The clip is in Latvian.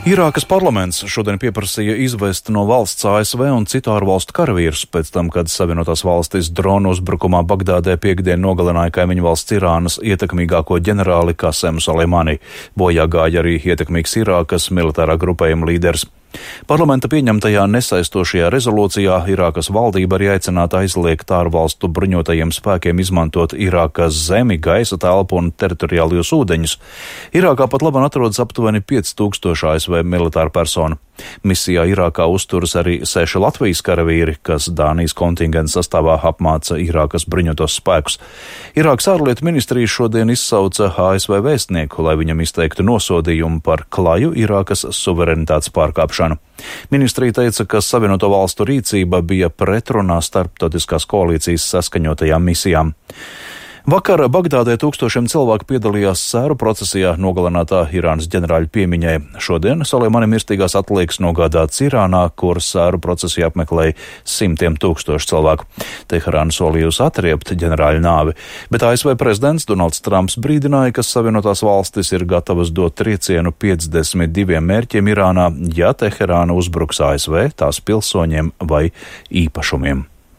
Irākas parlaments šodien pieprasīja izvest no valsts ASV un citu ārvalstu karavīrus pēc tam, kad Savienotās valstis dronu uzbrukumā Bagdādē piekdien nogalināja kaimiņu valsts Irānas ietekmīgāko ģenerāli Kasemu Soleimani. Bojā gāja arī ietekmīgs Irākas militārā grupējuma līderis. Parlamenta pieņemtajā nesaistošajā rezolūcijā Irākas valdība arī aicināta aizliegt ārvalstu bruņotajiem spēkiem izmantot Irākas zemi, gaisa telpu un teritoriālajos ūdeņus. Irākā pat labāk atrodas aptuveni 5000 ASV militāru personu. Misijā Irākā uzturas arī 6 Latvijas karavīri, kas Dānijas kontingenta sastāvā apmāca Irākas bruņotos spēkus. Irākas ārlietu ministrija šodien izsauca ASV vēstnieku, lai viņam izteiktu nosodījumu par klaju Irākas suverenitātes pārkāpšanu. Ministrija teica, ka Savienoto valstu rīcība bija pretrunā starptautiskās koalīcijas saskaņotajām misijām. Vakar Bagdādē tūkstošiem cilvēku piedalījās sēru procesijā nogalinātā Irānas ģenerāļa piemiņai. Šodien Soleimani mirstīgās atliekas nogādāts Irānā, kur sēru procesiju apmeklēja 100 000 cilvēku. Teherāna solījusi atriept ģenerāļa nāvi, bet ASV prezidents Donalds Trumps brīdināja, ka Savienotās valstis ir gatavas dot triecienu 52 mērķiem Irānā, ja Teherāna uzbruks ASV, tās pilsoņiem vai īpašumiem.